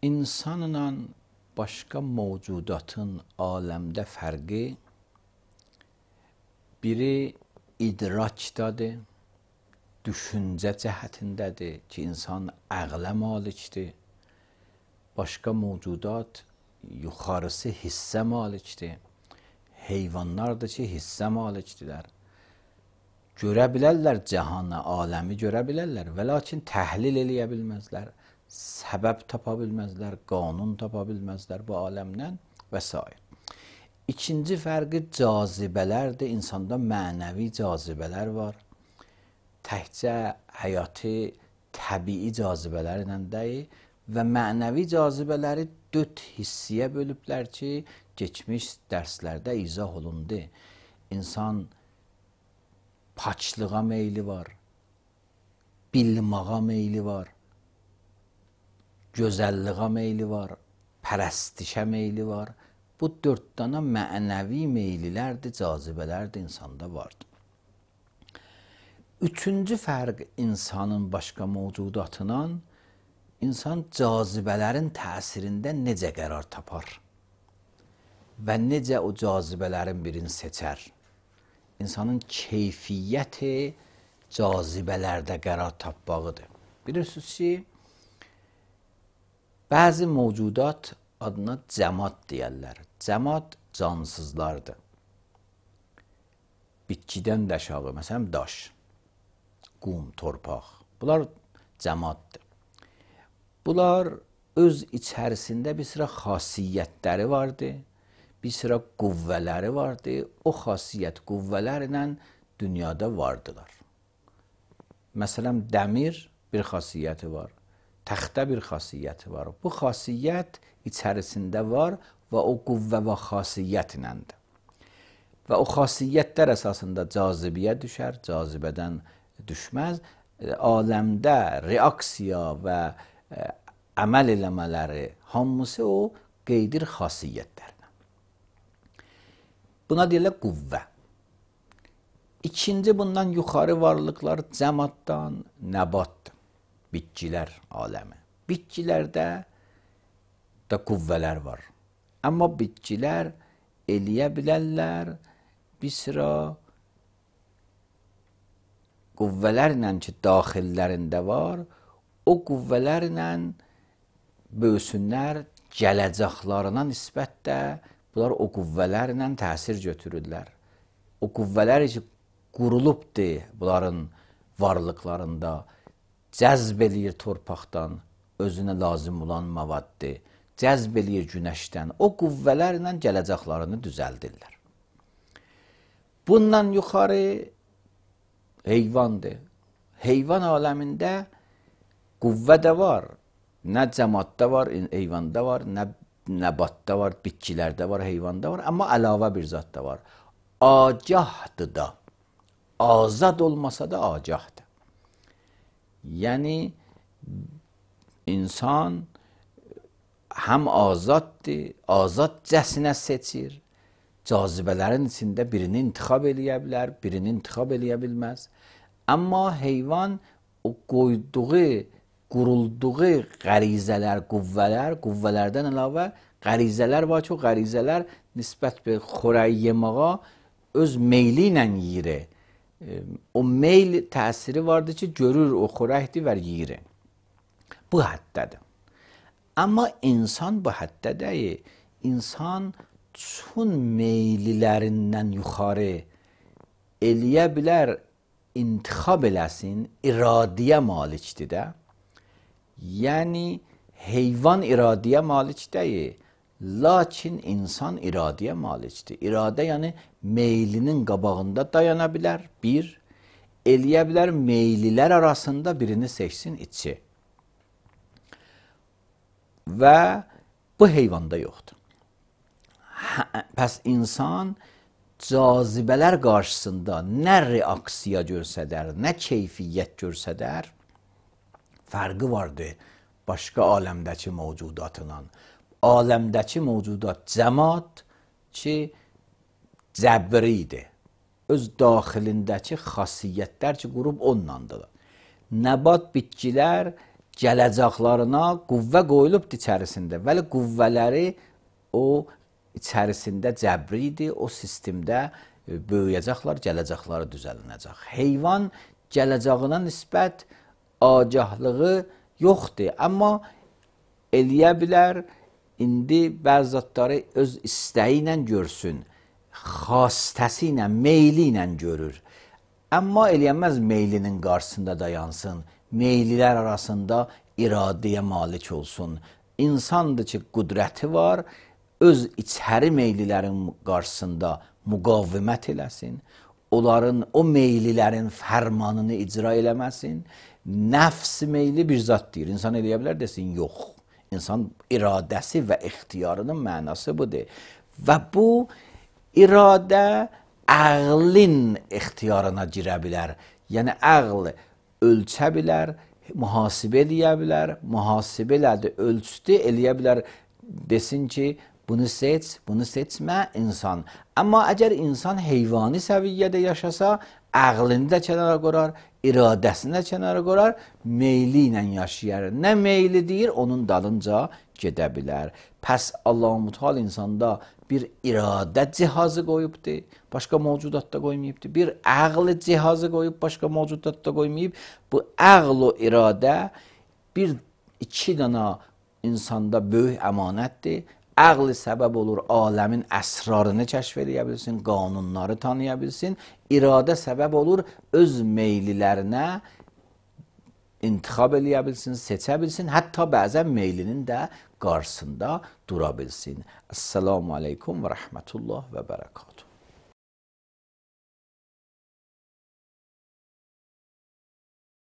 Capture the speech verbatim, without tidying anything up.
İnsanla başqa mövcudatın aləmdə fərqi biri idrakdadır, düşüncə cəhətindədir ki, insan əqlə malikdir. Başqa mövcudat yuxarısı hissə malikdir. Heyvanlardır ki, hissə malikdirlər. Görə bilərlər cəhanı, aləmi görə bilərlər və lakin təhlil eləyə bilməzlər, səbəb tapa bilməzlər, qanun tapa bilməzlər bu aləmdən və s. İkinci fərqi cazibələrdir. İnsanda mənəvi cazibələr var. Təkcə həyatı təbii cazibələrlə deyil və mənəvi cazibələri dörd hissiyə bölüblər ki, keçmiş dərslərdə izah olundu. İnsan paçlığa meyli var, bilmağa meyli var, gözəlliğə meyli var, pərəstişə meyli var. Bu dörd dana mənəvi meylilərdir, cazibələrdir, insanda vardır. Üçüncü fərq insanın başqa mövcudatından, insan cazibələrin təsirində necə qərar tapar və necə o cazibələrin birini seçər. İnsanın keyfiyyəti cazibələrdə qərar tapmağıdır. Bilirsiniz ki, bəzi mövcudat adına cəmad deyərlər. Cəmad cansızlardır. Bitkidən də aşağı, məsələn, daş, qum, torpaq. Bunlar cəmaddır. Bunlar öz içərisində bir sıra xasiyyətləri vardır, bir sıra qüvvələri vardır. O xasiyyət qüvvələrlə dünyada vardılar. Məsələn, dəmir bir xasiyyəti var, təxtə bir xasiyyəti var. Bu xasiyyət içərisində var və o qüvvə və xasiyyətləndir. Və o xasiyyətlər əsasında cazibəyə düşər, cazibədən düşməz. Aləmdə reaksiya və ə, əməl eləmələri hamısı o qeydir xasiyyətlərlə. Buna deyirlər qüvvə. İkinci bundan yuxarı varlıqlar cəmaddan nəbatdır. Bitkilər aləmi. Bitkilərdə da qüvvələr var. Amma bitkilər eləyə bilərlər bir sıra qüvvələrlə ki, daxillərində var, o qüvvələrlə böyüsünlər, gələcəklarına nisbətdə bunlar o qüvvələrlə təsir götürürlər. O qüvvələr ki, qurulubdur bunların varlıqlarında, cəzb eləyir torpaqdan, özünə lazım olan mavaddır, cəzb eləyir günəşdən, o qüvvələrlə gələcəklarını düzəldirlər. Bundan yuxarı heyvandır. Heyvan aləmində qüvvə də var, nə cəmadda var, heyvanda var, nə nəbatda var, bitkilərdə var, heyvanda var, amma əlavə bir zat da var. Agahdır da, azad olmasa da agahdır. Yəni, insan həm azaddır, azadcəsinə seçir, cazibələrin içində birini intixab eləyə bilər, birini intixab eləyə bilməz. Amma heyvan o qoyduğu, qurulduğu qərizələr, qüvvələr, qüvvələrdən əlavə qərizələr var ki, o qərizələr nisbət bir xörək yemağa öz meyli ilə yiyir. O meyl təsiri vardır ki, görür o xörəkdir və yiyir. Bu həddədir. Amma insan bu həddə deyil. İnsan çün meylilərindən yuxarı eləyə bilər, intixab eləsin, iradiyə malikdir də. Yəni, heyvan iradəyə malik deyil, lakin insan iradəyə malikdir. İradə, yəni meylinin qabağında dayana bilər, bir, eləyə bilər meylilər arasında birini seçsin, içi. Və bu heyvanda yoxdur. Pəs insan cazibələr qarşısında nə reaksiya görsədər, nə keyfiyyət görsədər, fərqi vardır başqa aləmdəki mövcudatından. Aləmdəki mövcudat cəmad ki, cəbridir. Öz daxilindəki xasiyyətlər ki, qurub ondandır. Nəbat bitkilər gələcəklarına qüvvə qoyulubdur içərisində. Vəli qüvvələri o içərisində cəbridir, o sistemdə böyüyəcəklər, gələcəkləri düzəlinəcək. Heyvan gələcəyinə nisbət agahlığı yoxdur, amma eləyə bilər, indi bəzi zatları öz istəyi ilə görsün, xastəsi ilə, meyli ilə görür. Amma eləyəməz meylinin qarşısında dayansın, meylilər arasında iradəyə malik olsun. İnsandır ki, qüdrəti var, öz içəri meylilərin qarşısında müqavimət eləsin, onların, o meylilərin fərmanını icra eləməsin. Nəfs meyli bir zat deyir, insan eləyə bilər desin, yox. İnsan iradəsi və ixtiyarının mənası budur. Və bu iradə əqlin ixtiyarına girə bilər. Yəni, əql ölçə bilər, mühasibə eləyə bilər, mühasibə elədi, ölçdü, eləyə bilər, desin ki, bunu seç, bunu seçmə insan. Amma əgər insan heyvani səviyyədə yaşasa, əqlini də kənara qorar, iradəsini də kənara qorar, meyli ilə yaşayar. Nə meyli deyir, onun dalınca gedə bilər. Pəs Allah-u Teala insanda bir iradə cihazı qoyubdur, başqa mövcudatda qoymayıbdır. Bir əql cihazı qoyub, başqa mövcudatda qoymayıb. Bu əql o iradə bir iki dana insanda böyük əmanətdir. Əql səbəb olur, aləmin əsrarını kəşf edə bilsin, qanunları tanıya bilsin. İradə səbəb olur, öz meylilərinə intixab eləyə bilsin, seçə bilsin, hətta bəzən meylinin də qarşısında dura bilsin. Əssalamu aleykum və rəhmətullah və bərəkatuhu.